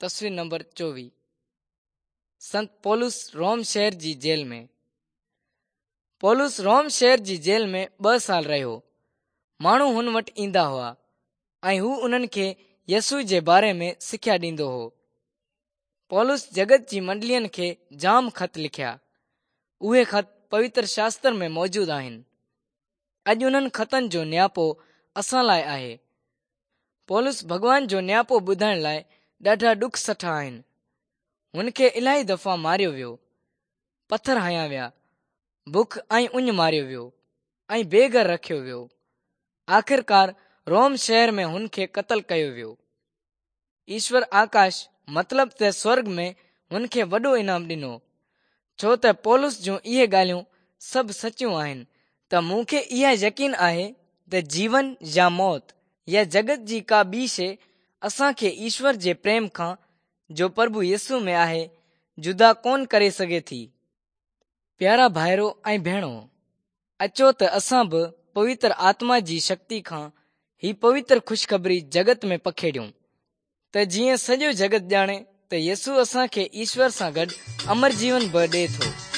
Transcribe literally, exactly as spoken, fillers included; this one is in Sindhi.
تصوير نمبر چوويهه. سنت پولس روم شهر جي جيل ۾. پولس روم شهر جي جيل ۾ ٻه سال رهيو. ماڻهو هن وٽ ايندا هئا ۽ هو انهن کي يسوع جي باري ۾ سکيا ڏيندو هو. پولس جڳت جي منڊلين کي جام خط لکيا. اهي خط پوتر شاستر ۾ موجود آهن. اڄ انهن خطن جو نياپو اسان لاءِ آهي. پولس ڀڳوان جو نياپو ٻڌائڻ لاءِ ڏاڍا ڏک سٺا آهن. هن کي الاهي دفعا ماريو ويو، پٿر هنيا ويا، بک ۽ اڃ ماريو ويو ۽ بي گهر رکيو ويو. آخرڪار روم شهر ۾ هن کي قتل ڪيو ويو. ايشور آڪاش مطلب ته سورڳ ۾ هن کي وڏو انعام ڏنو، ڇو ته پولس جون اهي ڳالهيون سڀ سچيون آهن ته مون کي اها يقين آهي ته جيون يا موت يا جڳت جي ڪا ٻي شيءِ اسان کي ايشور جي پريم کان، جو پرڀو يسوع ۾ آهي، جدا ڪونه ڪري سگهي ٿي. پيارا ڀائرو ۽ ڀيڻو، اچو ته اسان به پوتر آتما جي شڪتي کان هي پوتر خوشخبري جڳت ۾ پکيڙيون، ته جيئن سڄو جڳت ڄاڻي ته يسوع اسان کي ايشور سان گڏ امر جيون به ڏئي ٿو.